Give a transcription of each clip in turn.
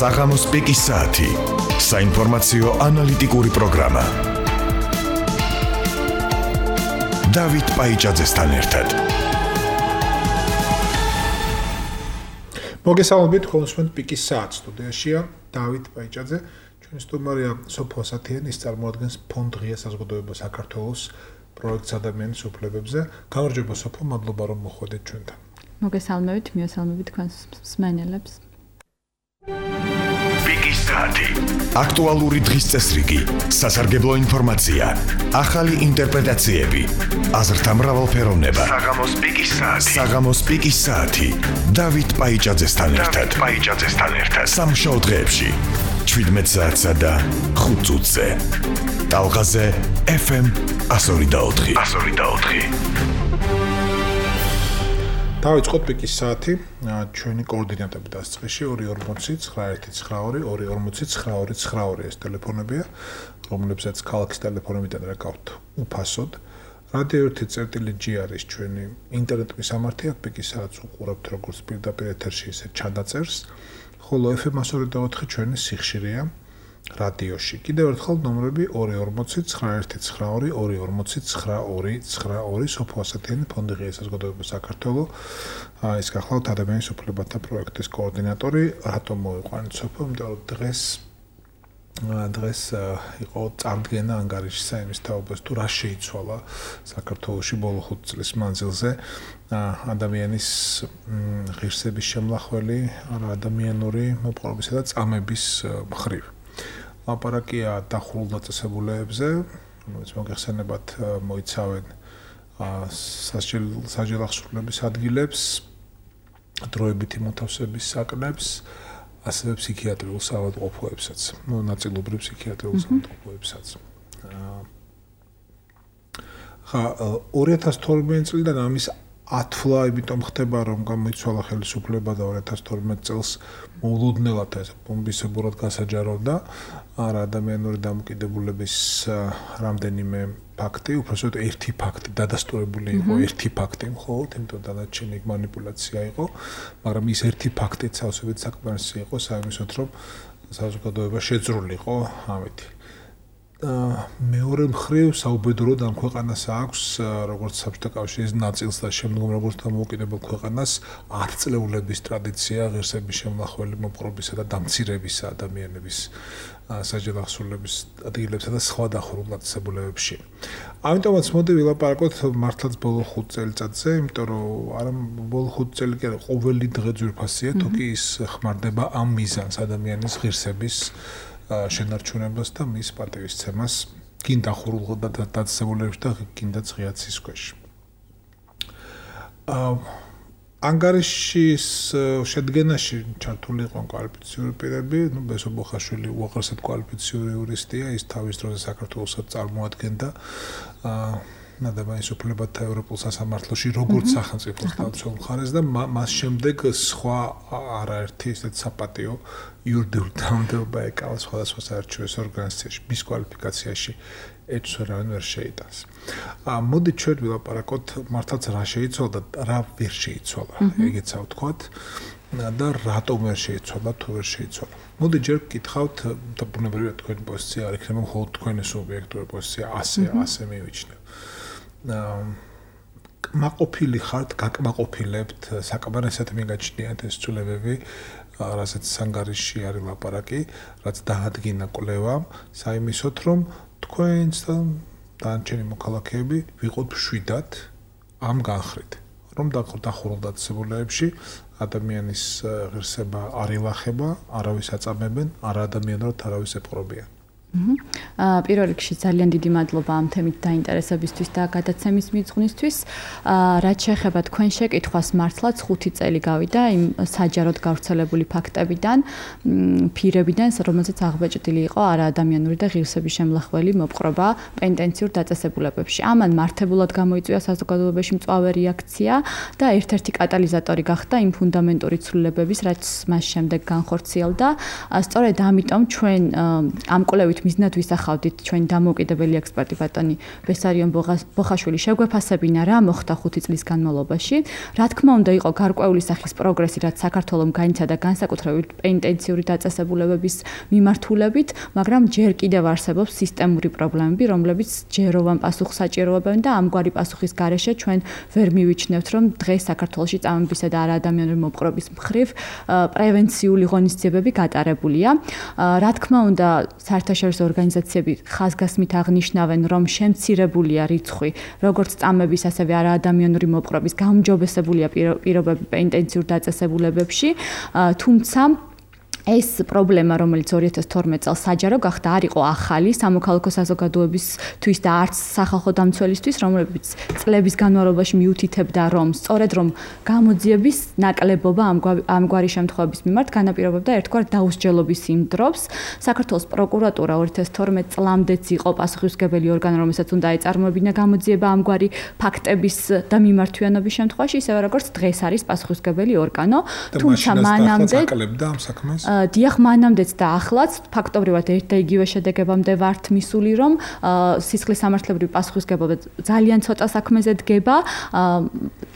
საღამოს პიკის საათი. საინფორმაციო ანალიტიკური პროგრამა. დავით პაიჭაძესთან ერთად. მოგესალმებით, ხოლმე პიკის საათი სტუდიაშია დავით პაიჭაძე. ჩვენი სტუმარია სოფო ასათიანი, ის წარმოადგენს ფონდ ღია საზოგადოება საქართველოს პროექტს ადამიანის უფლებებზე. გამარჯობა სოფო, მადლობა რომ მოხვედით ჩვენთან. მოგესალმებით, მიესალმებით თქვენს მსმენელებს. პიკის საათი. აქტუალური დღის წესრიგი, სასარგებლო ინფორმაცია, ახალი ინტერპრეტაციები, აზრთა მრავალფეროვნება. საღამოს პიკის საათი. დავით პაიჭაძესთან ერთად. სამშაბათ დღეებში 17 საათსა და 5 წუთზე. ტალღაზე FM 102.4. დავიწყოთ პიკის საათი. ჩვენი კოორდინატები დასწრეში 240-992-240-922 ეს ტელეფონებია, რომლებსაც ქალაქის ტელეფონებიდან რაკავთ უფასოდ. რადიო 1.G არის ჩვენი ინტერნეტ მისამართი, აქ პიკის საათს უყურებთ როგორც პირდაპირ ეთერში, ისე ჩადაწერს. ხოლო FM 102.4 ჩვენი სიხშირეა რადიოში. კიდევ ერთხელ ნომრები 240-992-240-922 სოფო ასათიანი ფონდი ღია საზოგადოება საქართველოს. ეს გახლავთ ადამიანის უფლებათა პროექტის კოორდინატორი. რატომ მოიყვანეთ სოფო? იმიტომ რომ დღეს იყო წარდგენა ანგარიშისა იმის თაობას თუ რა შეიცვალა საქართველოში ბოლო 5 წლის მანძილზე ადამიანის ღირსების შემლახველი, ადამიანური მოპყრობისა და წამების მხრივ. ლაპარაკია დახურულ დაწესებულებებზე, რომელიც მოგეხსენებათ მოიცავენ სასჯელახსრულების ადგილებს, დროებითი მოთავსების საკნებს, ასევე ფსიქიატრიულ საავადმყოფოებსაც, ნაწილობრივ ფსიქიატრიულ საავადმყოფოებსაც. 2012 წლიდან ამის ათვლა, იმიტომ ხდება, რომ გამოიცვალა ხელისუფლება და 2012 წელს მოულოდნელად ეს ბომბისებურად გასაჯაროვდა ადამიანური დამოკიდებულების რამდენიმე ფაქტი, უბრალოდ ერთი ფაქტი დადასტურებული იყო, ერთი ფაქტი მხოლოდ, იმიტომ დანარჩენი манипуляция იყო, მაგრამ ის ერთი ფაქტიც სავსებით საკმარისი იყო საიმისოდ, რომ საზოგადოება შეძრულიყო ამით. მეორე მხრივ საუბედუროდ ამ ქვეყანას აქვს, როგორც საბჭოთა კავშირის ნაწილს და შემდგომ როგორც დამოუკიდებელ ქვეყანას, ათწლეულების ტრადიცია ღირსების შემლახველი მოპყრობისა და დამცირებისა ადამიანების სასჯელახსრულების ადგილებსა და სხვა დახურულ დაწესებულებებში. ამიტომაც მოდი ვილაპარაკოთ მართლაც ბოლო 5 წელიწადზე, იმიტომ რომ არა ბოლო 5 წელი კი არა, ყოველი დღე ძვირფასია, თუ კი ის ხმარდება ამ მიზანს ადამიანის ღირსების შენარჩუნებას და მის პატივისცემას კინ დახურულ დაწესებულებებში და კინდაც ღია ცის ქვეშ. ანგარიშის შედგენაში ჩართული იყო კვალიფიციური პირები, ბესო ბოხაშვილი უაღრესად კვალიფიციური იურისტია, ის თავის დროზე საქართველოსაც წარმოადგენდა ადამიანის უფლებათა ევროპულ სასამართლოში როგორც სახელმწიფოს თავმჯდომარე მხარეს და მას შემდეგ სხვა არაერთი ისეთ საპატიო იურიდიული თანამდებობა ეკავა სხვადასხვა საერთაშორისო ორგანიზაციაში, მის კვალიფიკაციაში ეჭვს ვერავინ ვერ შეიტანს. მოდით ჩვენ ვილაპარაკოთ მართლაც რა შეიცვალა და რა ვერ შეიცვალა, ეგეც ავთქვათ და რატომ ვერ შეიცვალა, თუ ვერ შეიცვალა. მოდით ჯერ გკითხავთ, და ბუნებრივია თქვენი პოზიცია არ იქნება მხოლოდ თქვენი სუბიექტური პოზიცია, ასე მივიჩნევ. კმაყოფილი ხართ, გაკმაყოფილებთ, საკმარისად მიგაჩნიათ ეს ცვლილებები, რასაც ანგარიში არის ლაპარაკი, რაც დაადგინა კვლევა, საიმისოდ, რომ თქვენს და დანარჩენი მოქალაქეები ვიყოთ მშვიდად ამ განხრით, რომ დახურულ დაწესებულებებში ადამიანის ღირსება არ ილახება, არავის აწამებენ, არაადამიანურად არავის ეპყრობიან. პირველ რიგში ძალიან დიდი მადლობა ამ თემით დაინტერესებისთვის და გადაცემის მიღწვისთვის. რაც შეეხება თქვენ შეკითხვას, მართლაც 5 წელი გავიდა იმ საჯაროდ გავრცელებული ფაქტებიდან, ფირებიდან, რომელზეც აღბეჭდილი იყო არაადამიანური და ღირსების შემლახველი მოპყრობა პენტენციურ დაწესებულებებში. ამან მართებულად გამოიწვია საზოგადოებაში მწვავე რეაქცია და ერთ-ერთი კატალიზატორი გახდა იმ ფუნდამენტური ცვლილებების, რაც მას შემდეგ განხორციელდა. სწორედ ამიტომ ჩვენ ამ კვლევით მიზნად ვისახავდით ჩვენი დამოუკიდებელი ექსპერტი ბატონი ბესარიონ ბოხაშვილი შეგვეფასებინა რა მოხდა 5 წლის განმავლობაში. Რა თქმა უნდა, იყო გარკვეული სახის პროგრესი, რაც საქართველოს განიცადა განსაკუთრებით პენიტენციური დაწესებულებების მიმართულებით, მაგრამ ჯერ კიდევ არსებობს სისტემური პრობლემები, რომლებიც ჯეროვან პასუხს საჭიროებენ და ამგვარი პასუხის გარეშე ჩვენ ვერ მივიჩნევთ, რომ დღეს საქართველოში წამებისა და არაადამიანური მოპყრობის მხრივ პრევენციული ღონისძიებები გატარებულია. Რა თქმა უნდა, საერთაშორისო ორგანიზაციები ხაზგასმით აღნიშნავენ, რომ შემცირებულია რიცხვი, როგორც წამების, ასევე არაადამიანური მოპყრობის გაუმჯობესებულია პირობები პენიტენციურ დაწესებულებებში, თუმცა ეს პრობლემა, რომელიც 2012 წელს საჯარო გახდა, არ იყო ახალი სამოქალაქო საზოგადოებისთვის და არც სახალხო დამცველისთვის, რომლებიც წლების განმავლობაში მიუთითებდა, რომ სწორედ რომ გამოძიების ნაკლებობა ამგვარი შემთხვევების მიმართ განაპირობებდა ერთგვარ დაუსჯელობის იმ დროს. საქართველოს პროკურატურა 2012 წლამდეც იყო პასუხისმგებელი ორგანო, რომელსაც უნდა ეწარმოებინა გამოძიება ამგვარი ფაქტების და მიმართვიანობის შემთხვევაში, ისევე როგორც დღეს არის პასუხისმგებელი ორგანო, თუმცა მანამდე ამ საქმეს დიახ, მანამდეც და ახლაც ფაქტობრივად ერთ და იგივე შედეგებამდე ვართ მისული, რომ სისხლის სამართლებრივი პასუხისმგებლობა ძალიან ცოტა საქმეზე დგება.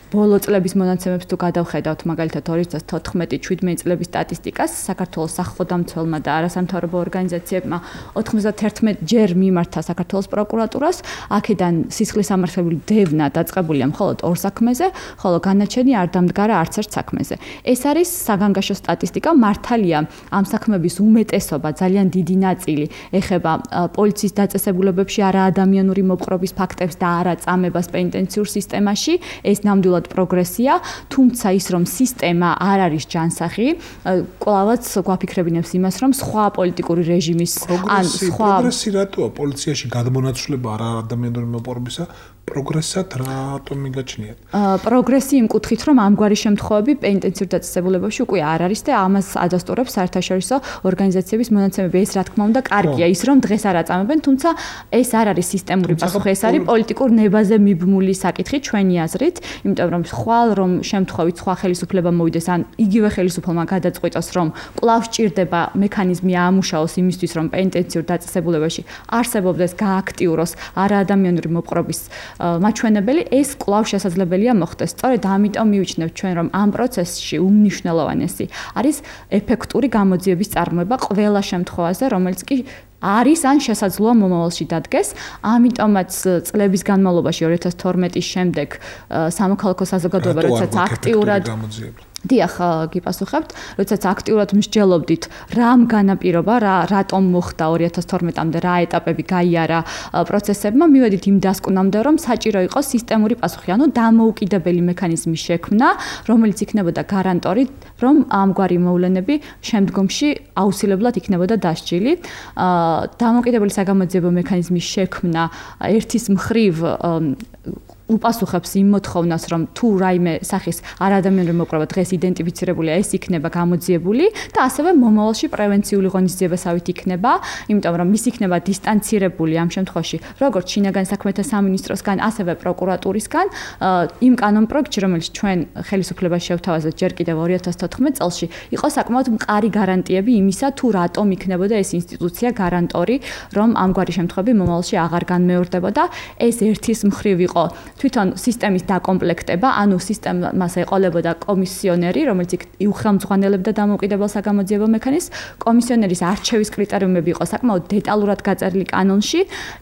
ბოლო წლების მონაცემებს თუ გადავხედავთ, მაგალითად 2014-17 წლების სტატისტიკას, საქართველოს სახალხო დამცველმა და არასამთავრობო ორგანიზაციებმა 91 ჯერ მიმართა საქართველოს პროკურატურას, აქედან სისხლის სამართლებრივი დევნა დაწყებულია მხოლოდ 2 საქმეზე, ხოლო განაჩენი არ დამდგარა არც ერთ საქმეზე. ეს არის საგანგაშო სტატისტიკა, მართალია ამ საქმეების უმეტესობა, ძალიან დიდი ნაწილი ეხება პოლიციის დაწესებულებებში არაადამიანური მოპყრობის ფაქტებს და არა წამებას პენიტენციურ სისტემაში. ეს ნამდვილად პროგრესია, თუმცა ის რომ სისტემა არ არის ჯანსაღი, კვლავაც გვაფიქრებინებს იმას, რომ სხვა პოლიტიკური რეჟიმის ან სხვა პროგრესი რატოა პოლიციაში გადმონაცვლება არაადამიანური მოპყრობისა პროგრესად რატომ მიგაჩნიათ? პროგრესი იმ კუთხით, რომ ამგვარი შემთხვევები პენიტენციურ დაწესებულებებში უკვე არ არის და ამას ადასტურებს საერთაშორისო ორგანიზაციების მონაცემები. ეს რა თქმა უნდა კარგია, ის რომ დღეს არ აწამებენ, თუმცა ეს არ არის სისტემური პასუხი, ეს არის პოლიტიკურ ნებაზე მიბმული საკითხი ჩვენი აზრით, იმიტომ რომ ხვალ რომ შემთხვევით სხვა ხელისუფლება მოვიდეს ან იგივე ხელისუფლებამ გადაწყვიტოს, რომ კვლავ სჭირდება მექანიზმი აამუშაოს იმისთვის, რომ პენიტენციურ დაწესებულებაში არსებობდეს გააქტიუროს არაადამიანური მოპყრობის მაჩვენებელი, ეს კვლავ შესაძლებელია მოხდეს. სწორედ ამიტომ მივიჩნევთ ჩვენ, რომ ამ პროცესში უმნიშვნელოვანესი არის ეფექტური გამოძიების წარმოება ყველა შემთხვევაზე, რომელიც კი არის ან შესაძლოა მომავალში დადგეს. ამიტომაც წლების განმავლობაში 2012-ის შემდეგ სამოქალაქო საზოგადოება როდესაც აქტიურად დიახ, გიპასუხებთ, როდესაც აქტიურად მსჯელობდით, რამ განაპირობა, რატომ მოხდა 2012-მდე, რა ეტაპები გაიარა პროცესებმა, მივედით იმ დასკვნამდე, რომ საჭირო იყო სისტემური პასუხი, ანუ დამოუკიდებელი მექანიზმის შექმნა, რომელიც იქნებოდა გარანტორი, რომ ამგვარი მოვლენები შემდგომში აუცილებლად იქნებოდა დასჯილი. დამოუკიდებელი საგამოძიებო მექანიზმის შექმნა ერთის მხრივ უპასუხებს იმ მოთხოვნას, რომ თუ რაიმე სახის არაადამიანური მოპყრობა დღეს იდენტიფიცირებულია, ეს იქნება გამოძიებული და ასევე მომავალში პრევენციული ღონისძიებასავით იქნება, იმიტომ რომ ის იქნება დისტანცირებული ამ შემთხვევაში, როგორც შინაგან საქმეთა სამინისტროსგან, ასევე პროკურატურისგან, იმ კანონპროექტში, რომელიც ჩვენ ხელისუფლებას შევთავაზეთ ჯერ კიდევ 2014 წელში, იყო საკმაოდ მყარი გარანტიები იმისა, თუ რატომ იქნებოდა ეს ინსტიტუცია გარანტორი, რომ ამგვარი შემთხვევები მომავალში აღარ განმეორდებოდა. ეს ერთის მხრივ იყო თვითონ სისტემის დაკომპლექტება, ანუ სისტემას ეყოლებოდა კომისიონერი, რომელიც უხელმძღვანელებდა დამოუკიდებელ საგამოძიებო მექანიზმს. კომისიონერის არჩევის კრიტერიუმები იყო საკმაოდ დეტალურად გაწერილი კანონში,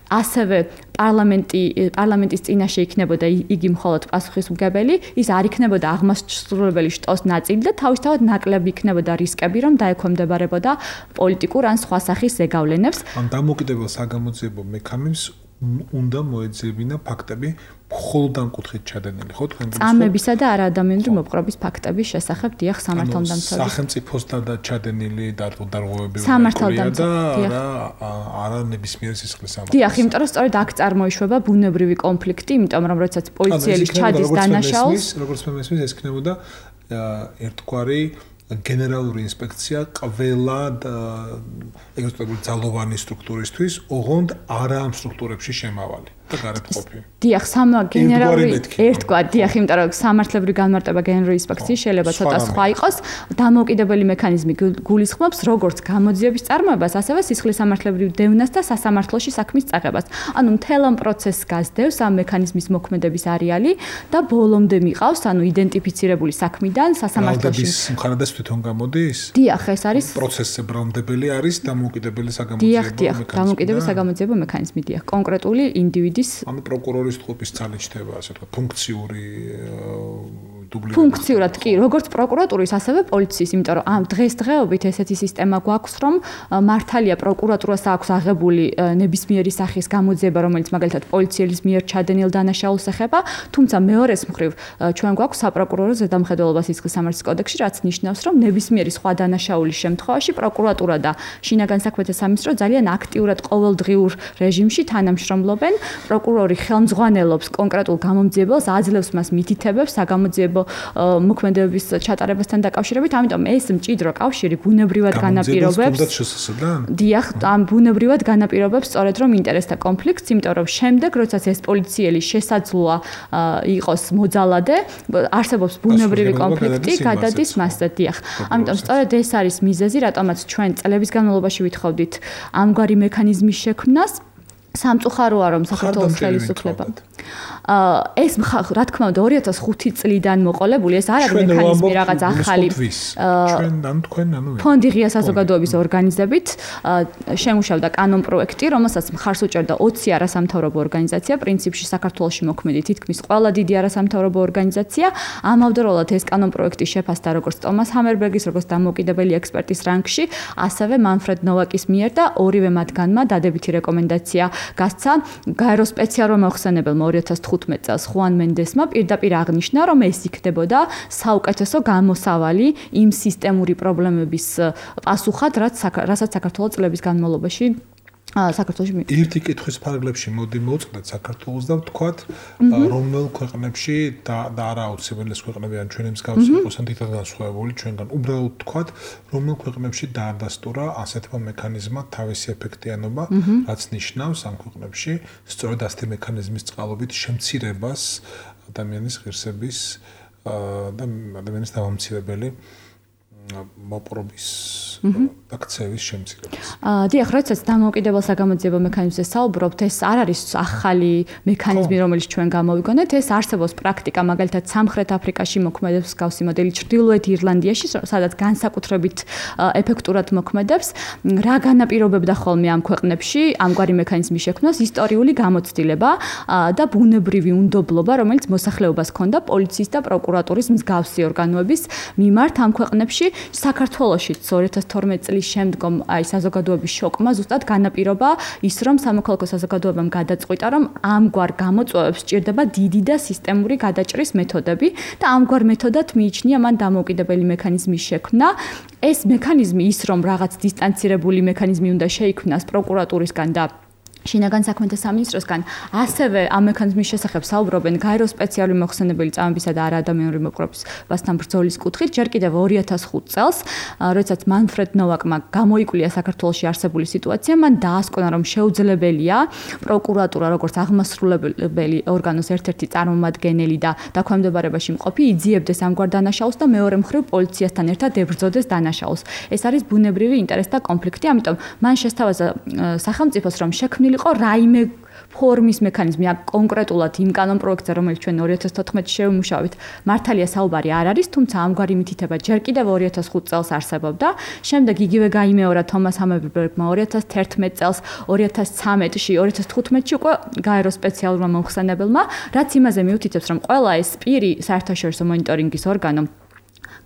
ასევე პარლამენტის წინაშე იქნებოდა იგი მხოლოდ პასუხისმგებელი, ის არ იქნებოდა აღმასრულებელი შტოს ნაწილი და თავისთავად ნაკლები იქნებოდა რისკები, რომ დაექვემდებარებოდა პოლიტიკურ ან სხვა სახის ზეგავლენებს. ან დამოუკიდებელ საგამოძიებო მექანიზმს უნდა მოეძებინა ფაქტები მხოლოდ ამ კუთხით ჩადენილი, ხო თქვენ? წამებისა და არაადამიანური მოპყრობის ფაქტების შესახებ დიახ სამართალდამცავი. სახელმწიფოსთან და ჩადენილი დარღვევები სამართალდამცავი და არა ნებისმიერ სისხლის სამართალს. დიახ, იმიტომ რომ სწორედ აქ წარმოიშვება ბუნებრივი კონფლიქტი, იმიტომ რომ როდესაც პოლიციელი ჩადის დანაშაულს, როგორც მე მესმის, ეს იქნებოდა ერთგვარი გენერალური ინსპექცია ყველა ეგრეთ წოდებული ძალოვანი სტრუქტურისთვის, ოღონდ არა ამ სტრუქტურებში შემავალი. და გარეთყოფი. დიახ, გენერალური ერთგვარი, დიახ, იმიტომ რომ სამართლებრივი განმარტება გენერალური ინსპექციის შეიძლება ცოტა სხვა იყოს. დამოუკიდებელი მექანიზმი გულისხმობს როგორც გამოძიების წარმოებას, ასევე სისხლის სამართლებრივ დევნას და სასამართლოში საქმის წაღებას. ანუ მთელ ამ პროცესს გასდევს ამ მექანიზმის მოქმედების არეალი და ბოლომდე მიყავს, ანუ იდენტიფიცირებული საქმიდან სასამართლოში. ბრალდების მხარდას თვითონ გამოდის? დიახ, ეს არის პროცესზე ბრალდებელი არის დამოუკიდებელი საგამოძიებო მექანიზმი. დიახ, დამოუკიდებელი საგამოძიებო მექანიზმი, დიახ, კონკრეტული ინდივიდის ანუ პროკურორის თყოფის ძალით ჩდება, ასე ვთქვათ, ფუნქციური დუბლირება. ფუნქციურად კი, როგორც პროკურატურის, ასევე პოლიციის, იმიტომ რომ ამ დღესდღეობით ესეთი სისტემა გვაქვს, რომ მართალია პროკურატურას აქვს აღებული ნებისმიერი სახის გამოძიება, რომელიც მაგალითად პოლიციელის მიერ ჩადენილ დანაშაულს ეხება, თუმცა მეორეს მხრივ ჩვენ გვაქვს საპროკურორო ზედამხედველობა სისხლის სამართლის კოდექსში, რაც ნიშნავს, რომ ნებისმიერი სხვა დანაშაულის შემთხვევაში პროკურატურა და შინაგან საქმეთა სამინისტრო ძალიან აქტიურად ყოველდღიურ რეჟიმში თანამშრომლობენ. პროკურორი ხელმძღვანელობს კონკრეტულ გამომძიებელს, აძლევს მას მითითებებს საგამოძიებო მოქმედებების ჩატარებასთან დაკავშირებით, ამიტომ ეს მჭიდრო კავშირი ბუნებრივად განაპირობებს. დიახ, ამ ბუნებრივად განაპირობებს სწორედ რომ ინტერესთა კონფლიქტს, იმიტომ რომ შემდეგ, როდესაც ეს პოლიციელი შესაძლოა იყოს მოძალადე, არსებობს ბუნებრივი კონფლიქტი, გადადის მასზე, დიახ. ამიტომ სწორედ ეს არის მიზეზი, რატომაც ჩვენ წლების განმავლობაში ვითხოვდით ამგვარი მექანიზმის შექმნას. სამწუხაროა რომ საქართველოს ხელისუფლება ეს რა თქმა უნდა 2005 წლიდან მოყოლებული ეს არ არის მექანიზმი რაღაც ახალი ფონდი ღია საზოგადოების ორგანიზებით შემუშავდა კანონ პროექტი რომელსაც მხარს უჭერდა 20 არასამთავრობო ორგანიზაცია პრინციპში საქართველოში მოქმედი თითქმის ყველა დიდი არასამთავრობო ორგანიზაცია ამავდროულად ეს კანონ პროექტი შეფასდა როგორც ტომას ჰამერბერგის როგორც დამოუკიდებელი ექსპერტის რანგში ასევე მანფრედ ნოვაკის მიერ და ორივე მათგანმა დადებითი რეკომენდაცია გასცა გაერო სპეციალურ მოხსენებელმა 2015 წელს ხუან მენდესმა პირდაპირ აღნიშნა, რომ ეს იქნებოდა საუკეთესო გამოსავალი იმ სისტემური პრობლემების პასუხად, რასაც საქართველოს წლების განმავლობაში საქართველოში ერთი კითხვის ფარგლებში მოდი მოვწყდეთ საქართველოს და ვთქვათ რომელ ქვეყნებში და არა აუცილებელი ქვეყნები ან ჩვენი მსგავსი იყოს ან თითქოს განსხვავებული ჩვენგან უბრალოდ ვთქვათ რომელ ქვეყნებში დაადასტურა ასეთმა მექანიზმმა თავისი ეფექტიანობა რაც ნიშნავს ამ ქვეყნებში სწორედ ასეთი მექანიზმის წყალობით შემცირებას ადამიანის ღირსების და ადამიანის დავამცირებელი მოპრობის აქცევის შემცირებას. დიახ, როდესაც დამოუკიდებელ საგამოძიებო მექანიზმზე საუბრობთ, ეს არ არის ახალი მექანიზმი, რომელიც ჩვენ გამოვიგონეთ, ეს არსებობს პრაქტიკა, მაგალითად, სამხრეთ აფრიკაში მოქმედებს მსგავსი მოდელი, ჩრდილოეთ ირლანდიაში, სადაც განსაკუთრებით ეფექტურად მოქმედებს. რა განაპირობებდა ხოლმე ამ ქვეყნებში ამგვარი მექანიზმის შექმნას? ისტორიული გამოცდილება და ბუნებრივი უნდობლობა, რომელიც მოსახლეობას ჰქონდა პოლიციის და პროკურატურის მსგავსი ორგანოების მიმართ ამ ქვეყნებში. საქართველოშიც 2012 წლის შემდგომ აი საზოგადოების შოკმა ზუსტად განაპირობა ის რომ სამოქალაქო საზოგადოებამ გადაწყვიტა რომ ამგვარ გამოწვევებს სჭირდება დიდი და სისტემური გადაჭრის მეთოდები და ამგვარ მეთოდად მიიჩნია მან დამოუკიდებელი მექანიზმის შექმნა ეს მექანიზმი ის რომ რაღაც დისტანცირებული მექანიზმი უნდა შეიქმნას პროკურატურისგან და შინაგან საქმეთა სამინისტროსგან ასევე ამ მექანიზმის შესახებ საუბრობენ გაერო სპეციალური მოხსენებელი წამებისა და არაადამიანური მოპყრობასთან ბრძოლის კუთხით ჯერ კიდევ 2005 წელს როდესაც მანფრედ ნოვაკმა გამოიკვლია საქართველოში არსებული სიტუაცია მან დაასკვნა რომ შეუძლებელია პროკურატურა როგორც აღმასრულებელი ორგანოს ერთ-ერთი წარმომადგენელი და დაქვემდებარებაში მყოფი იძიებდეს ამგვარ დანაშაულს და მეორე მხრივ პოლიციასთან ერთად ებრძოდეს დანაშაულს ეს არის ბუნებრივი ინტერესთა კონფლიქტი ამიტომ მან შესთავაზა სახელმწიფოს რომ შექმნილი იყო რაიმე ფორმის მექანიზმი კონკრეტულად იმ კანონ პროექტზე რომელიც ჩვენ 2014 შევიმუშავეთ მართალია საუბარი არ არის თუმცა ამგვარი მითითება ჯერ კიდევ 2005 წელს არსებობდა შემდეგ იგივე გაიმეორა თომას ჰამერბერგმა 2011 წელს 2013-ში 2015-ში უკვე გაერო სპეციალურმა მომხსენებელმა რაც იმაზე მიუთითებს რომ ყველა ეს პირი საერთაშორისო მონიტორინგის ორგანო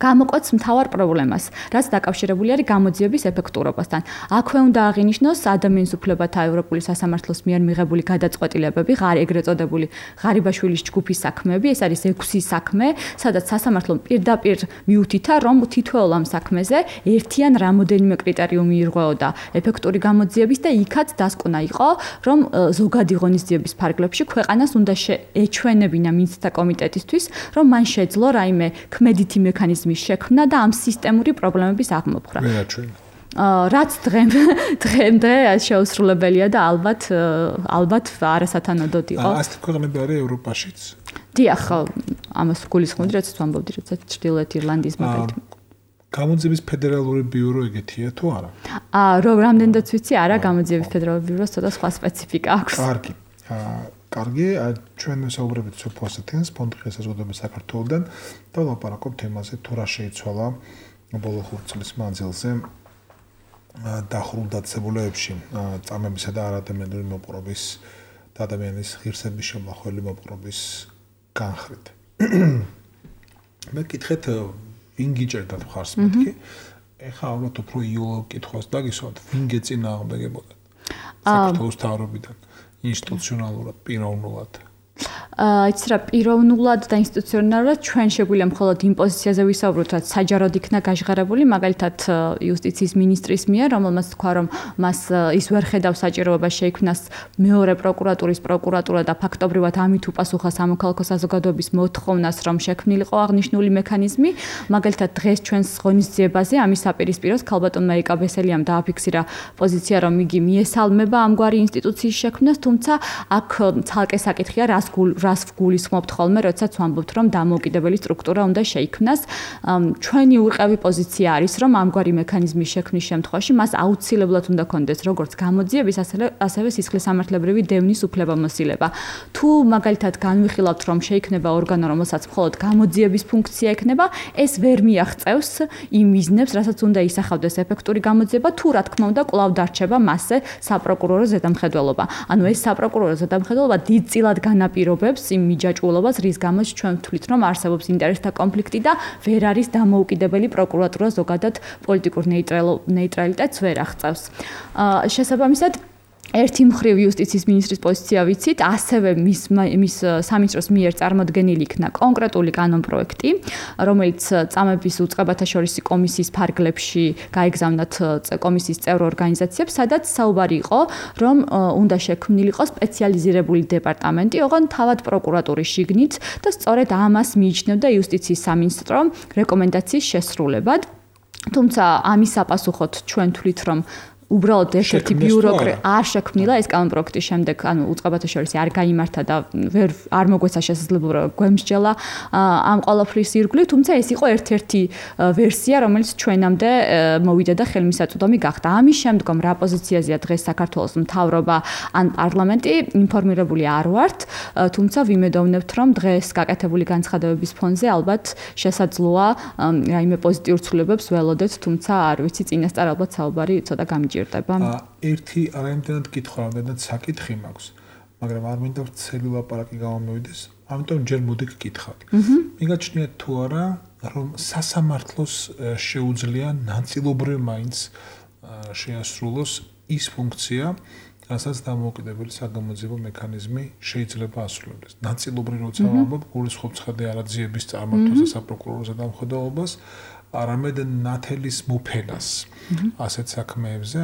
გამოყვეთს მთავარ პრობლემას, რაც დაკავშირებული არის გამოძიების ეფექტურობასთან. აქვე უნდა აღინიშნოს ადამიანის უფლებათა ევროპული სასამართლოს მიერ მიღებული გადაწყვეტილებები, ეგრეთ წოდებული ღარიბაშვილის ჯგუფის საქმეები, ეს არის 6 საქმე, სადაც სასამართლომ პირდაპირ მიუთითა, რომ თითოეულ ამ საქმეზე ერთი ან რამოდენიმე კრიტერიუმი ირღვეოდა ეფექტური გამოძიების და იქაც დასკვნა იყო, რომ ზოგადი ღონისძიების ფარგლებში ქვეყანას უნდა ეჩვენებინა მინისტრთა კომიტეტისთვის, რომ მან შეძლო რაიმე ქმედითი მექანიზმი შექმნა და ამ სისტემური პრობლემების აღმოფხვრა. რაც დღემდე შეუსრულებელია და ალბათ არასათანადოდ იყო. ასეთი ქვეყნები არის ევროპაშიც. დიახ, ამას გულისხმობდი, რაც ვამბობდი, როცა ჩრდილოეთ ირლანდიის მაგალითად. გამოძიების ფედერალური ბიურო ეგეთია თუ არა? რომ რამდენადაც ვიცი, არა, გამოძიების ფედერალური ბიუროს ცოტა სხვა სპეციფიკა აქვს. კარგი, ჩვენ ვსაუბრებით სოფო ასეთენს ფონდის საზოგადოების საქართველოსთან და ვლაპარაკობთ თემაზე თუ რა შეიცვალა ბოლო 5 წლის მანძილზე დახრულ დაწესებულებებში წამებისა და არადამიანური მოპყრობის და ადამიანის ღირსების შემახველი მოპყრობის განხრით. მე კითხეთ ვინ გიჭერდა მხარს მეთქი? ეხლა ალბათ უფრო იოლო კითხვას დაგისვათ, ვინ გეწინააღმდეგებოდა? საქართველოს თავრობიდან ინსტიტუციონალურად, პიროვნულად. იცი რა, პიროვნულად და ინსტიტუციონალურად ჩვენ შეგვიძლია მხოლოდ იმ პოზიციაზე ვისაუბროთ, რაც საჯაროდ იქნა გაჟღერებული, მაგალითად იუსტიციის მინისტრის მიერ, რომელმაც თქვა, რომ მას ის ვერ ხედავს საჭიროებას შეიქმნას მეორე პროკურატურა და ფაქტობრივად ამით უპასუხა სამოქალაქო საზოგადოების მოთხოვნას, რომ შექმნილიყო აღნიშნული მექანიზმი. მაგალითად დღეს ჩვენს ღონისძიებაზე ამის საპირისპიროს ქალბატონმა ერიკა ბესელიამ დააფიქსირა პოზიცია, რომ იგი მიესალმება ამგვარი ინსტიტუციის შექმნას, თუმცა აქ ცალკე საკითხია, რას გულისხმობთ ხოლმე, როდესაც ვამბობთ, რომ დამოუკიდებელი სტრუქტურა უნდა შეიქმნას. ჩვენი უყევი პოზიცია არის, რომ ამგვარი მექანიზმის შექმნის შემთხვევაში მას აუცილებლად უნდა კონდეს როგორც გამოძიების, ასევე სისხლისამართლებრივი დევნის უფლებამოსილება. თუ მაგალითად განვიხილავთ, რომ შეიქმნება ორგანო, რომელსაც მხოლოდ გამოძიების ფუნქცია ექნება, ეს ვერ მიაღწევს იმ მიზნებს, რასაც უნდა ისახავდეს ეფექტური გამოძიება, თუ რა თქმა უნდა კვლავ დარჩება მასზე საპროკურორო ზედამხედველობა. ანუ ეს საპროკურორო ზედამხედველობა დიდწილად განაპირობებს იმ მიჯაჭვულობას, რის გამოც ჩვენ ვთვლით, რომ არსებობს ინტერესთა კონფლიქტი და ვერ არის დამოუკიდებელი პროკურატურა ზოგადად პოლიტიკურ ნეიტრალიტეტს ვერ აღწევს. შესაბამისად ერთი მხრივ იუსტიციის მინისტრის პოზიცია ვიცით, ასევე მის სამინისტროს მიერ წარმოდგენილი იქნა კონკრეტული კანონპროექტი, რომელიც წამების უწყებათა შორისი კომისიის ფარგლებში გაეგზავნათ კომისიის წევრ ორგანიზაციებს, სადაც საუბარი იყო, რომ უნდა შექმნილიყო სპეციალიზირებული დეპარტამენტი, ოღონდ თავად პროკურატურის შიგნით და სწორედ ამას მიიჩნევდა იუსტიციის სამინისტრო რეკომენდაციის შესრულებად. თუმცა ამის საპასუხოდ ჩვენ თვლით, რომ უბრალოდ ერთ-ერთი ბიუროკრატია არ შექმნილა ეს კანონპროექტის შემდეგ, ანუ უწყებათა შორის არ გაიმართა და არ მოგვეცა შესაძლებლობა გვემსჯელა ამ ყველაფრის ირგვლივ, თუმცა ეს იყო ერთ-ერთი ვერსია, რომელიც ჩვენამდე მოვიდა და ხელმისაწვდომი გახდა. ამის შემდგომ რა პოზიციაზეა დღეს საქართველოს მთავრობა ან პარლამენტი, ინფორმირებული არ ვართ, თუმცა ვიმედოვნებთ, რომ დღეს გაკეთებული განცხადებების ფონზე ალბათ შესაძლოა რაიმე პოზიტიურ ცვლილებებს ველოდეთ, თუმცა არ ვიცი, წინასწარ ალბათ საუბარი ცოტა გამიჯერდა. ერთი არაიმდენად კითხვა, რამდენად საკითხი მაქვს, მაგრამ არ მინდა ვცელი ლაპარაკი გამომივიდეს, ამიტომ ჯერ მოდი გკითხავ. მიგაჩნიათ თუ არა, რომ სასამართლოს შეუძლია ნაწილობრივ მაინც შეასრულოს ის ფუნქცია, რასაც დამოუკიდებელი საგამოძიებო მექანიზმი შეიძლება ასრულოს. ნაწილობრივ როცა ვამბობ, გულისხმობ ცხადე არაძიების წარმართვას და საპროკურორო ზედამხედველობას, არამედ ნათელის მოფენას ასეთ საქმეებზე,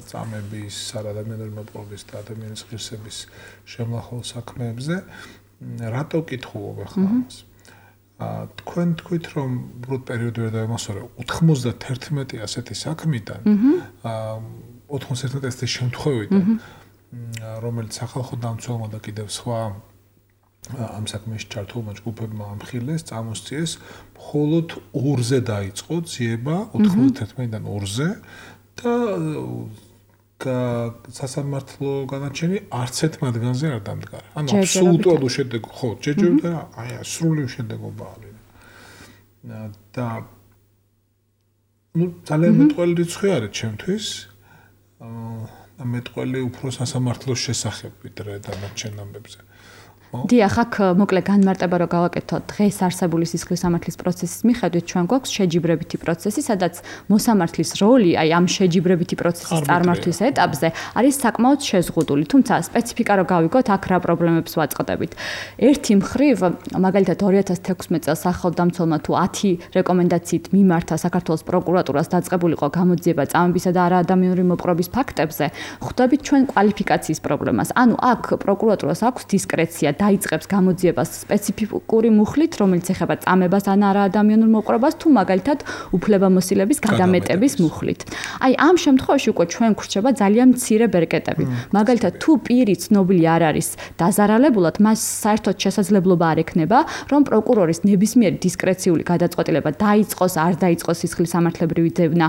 წამების, არადამიანური მოპყრობის და ადამიანის ღირსების შემლახულ საქმეებზე, რატო კითხულობ ახლა ამას? თქვენ თქვით, რომ უბრალოდ პერიოდი ვერ დაემასურე 91 ასეთი საქმიდან, 91 ასეთი შემთხვევიდან, რომელიც სახალხო დამცველმა და კიდევ სხვა ამ საქმეში ჩართულმა ჯგუფებმა ამხილეს, წამოსწიეს, მხოლოდ 2-ზე დაიწყო ძიება 91-დან 2-ზე და სასამართლო განაჩენი არც ერთ მათგანზე არ დამდგარა. ანუ აბსოლუტურად უშედეგო, ხო, ჯერჯერობით აი სრული უშედეგობა არის. და ძალიან მეტყველი რიცხვი არის ჩემთვის. მეტყველი უფრო სასამართლოს შესახებ ვიდრე დანარჩენ ამბებზე. დიახ, აქ მოკლე განმარტება რო გავაკეთოთ, დღეს არსებული სისხლისამართლის პროცესის მიხედვით ჩვენ გვაქვს შეჯიბრებითი პროცესი, სადაც მოსამართლის როლი, აი ამ შეჯიბრებითი პროცესის წარმართვის ეტაპზე არის საკმაოდ შეზღუდული, თუმცა სპეციფიკა რო გავიგოთ, აქ რა პრობლემებს ვაწყდებით. ერთი მხრივ, მაგალითად 2016 წელს სახელმწიფომ თუ 10 რეკომენდაციით მიმართა საქართველოს პროკურატურას დაწყებულიყო გამოძიება წამებისა და არაადამიანური მოპყრობის ფაქტებზე, ხვდებით ჩვენ კვალიფიკაციის პრობლემას. ანუ აქ პროკურატურას აქვს დისკრეცია დაიწყებს გამოძიებას სპეციფიკური მუხლით, რომელიც ეხება წამებას ან არაადამიანურ მოპყრობას თუ მაგალითად უფლებამოსილების გადამეტების მუხლით. აი ამ შემთხვევაში უკვე ჩვენ გვრჩება ძალიან მცირე ბერკეტები. მაგალითად თუ პირი ცნობილი არ არის დაზარალებულად, მას საერთოდ შესაძლებლობა არ ექნება, რომ პროკურორის ნებისმიერი დისკრეციული გადაწყვეტილება დაიწყოს, არ დაიწყოს სისხლის სამართლებრივი ძებნა,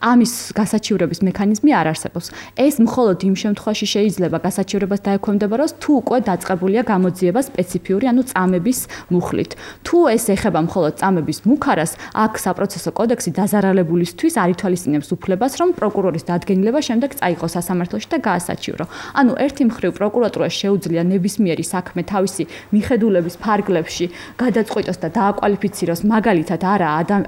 ამის გასაჩივრების მექანიზმი არ არსებობს. ეს მხოლოდ იმ შემთხვევაში შეიძლება გასაჩივრებას დაექვემდებაროს, თუ უკვე დაწყებულია გამოძიება სპეციფიური, ანუ წამების მუხლით. თუ ეს ეხება მხოლოდ წამების მუქარას, აქ საპროცესო კოდექსი დაზარალებულისთვის არ ითვალისწინებს უფლებას, რომ პროკურორის დადგენილება შემდეგ წაიღოს სასამართლოში და გაასაჩივრო. ანუ ერთი მხრივ პროკურატურას შეუძლია ნებისმიერი საქმე თავისი მიხედულების ფარგლებში გადაწყვიტოს და დააკვალიფიციროს მაგალითად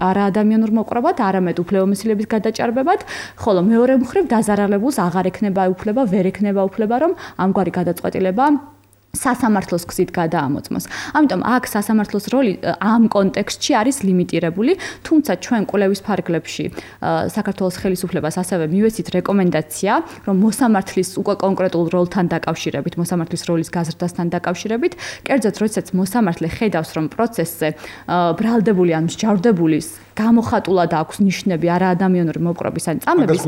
არაადამიანურ მოპყრობად, არამედ უფლებამოსილების გადაჭარბებად, ხოლო მეორე მხრივ დაზარალებულს აღარ ექნება უფლება, ვერ ექნება უფლება, რომ ამგვარი გადაწყვეტილება სასამართლოს გზით გადაამოწმოს. ამიტომ აქ სასამართლოს როლი ამ კონტექსტში არის ლიმიტირებული, თუმცა ჩვენ კვლევის ფარგლებში საქართველოს ხელისუფლებას ასევე მივეცით რეკომენდაცია, რომ მოსამართლის უკვე კონკრეტულ როლთან დაკავშირებით, მოსამართლის როლის გაზრდასთან დაკავშირებით, კერძოდ როდესაც მოსამართლე ხედავს, რომ პროცესზე ბრალდებული ან მსჯავრდებული გამოხატულად აქვს ნიშნები არაადამიანური მოპყრობის ან წამების,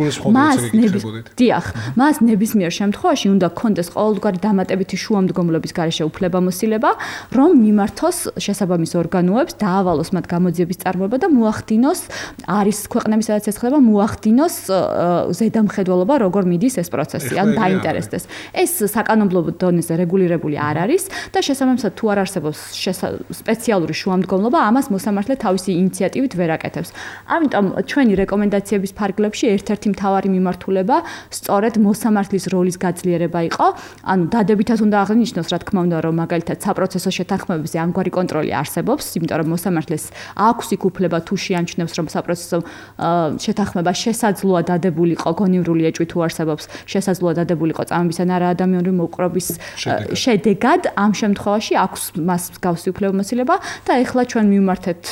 მას ნებისმიერ შემთხვევაში უნდა გქონდეს ყოველგვარი დამატებითი შუამდგომლობის გარეშე უფლებამოსილება, რომ მიმართოს შესაბამის ორგანოებს, დაავალოს მათ გამოძიების წარმოება და მოახდინოს, არის ქვეყნების სადაც ეს ხდება, მოახდინოს ზედამხედველობა, როგორ მიდის ეს პროცესი, ან დაინტერესდეს. ეს საკანონმდებლო დონეზე რეგულირებული არ არის და შესაბამისად თუ არ არსებობს სპეციალური შუამდგომლობა, ამას მოსამართლე თავისი ინიციატივით ვერ აკეთებს. ამიტომ ჩვენი რეკომენდაციების ფარგლებში ერთ-ერთი მთავარი მიმართულება სწორედ მოსამართლის როლის გაძლიერება იყო. ანუ დადებითად უნდა აღნიშნოს, რა თქმა უნდა, რომ მაგალითად საპროცესო შეთანხმებებზე ამგვარი კონტროლი არსებობს, იმიტომ რომ მოსამართლეს აქვს იქ უფლება თუ შეამჩნევს, რომ საპროცესო შეთანხმება შესაძლოა დადებულიყო გონივრული ეჭვი თუ არსებობს, შესაძლოა დადებულიყო წამების ან არაადამიანური მოპყრობის შედეგად, ამ შემთხვევაში აქვს მას მსგავსი უფლებამოსილება და ეხლა ჩვენ მივმართეთ